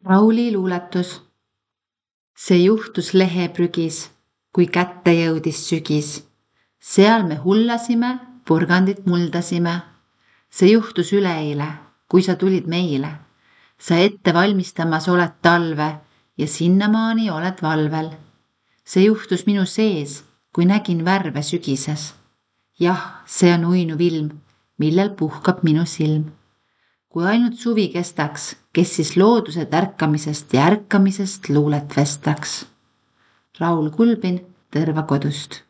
Rauli luuletus. See juhtus leheprügis, kui kätte jõudis sügis. Seal me hullasime, purgandit muldasime. See juhtus üleeile, kui sa tulid meile. Sa ette valmistamas oled talve ja sinnamaani oled valvel. See juhtus minu sees, kui nägin värve sügises. Jah, see on uinuv ilm, millel puhkab minu silm. Kui ainult suvi kestaks, kes siis looduse tärkamisest ja ärkamisest luulet vestaks. Raul Kulbin Tõrva kodust.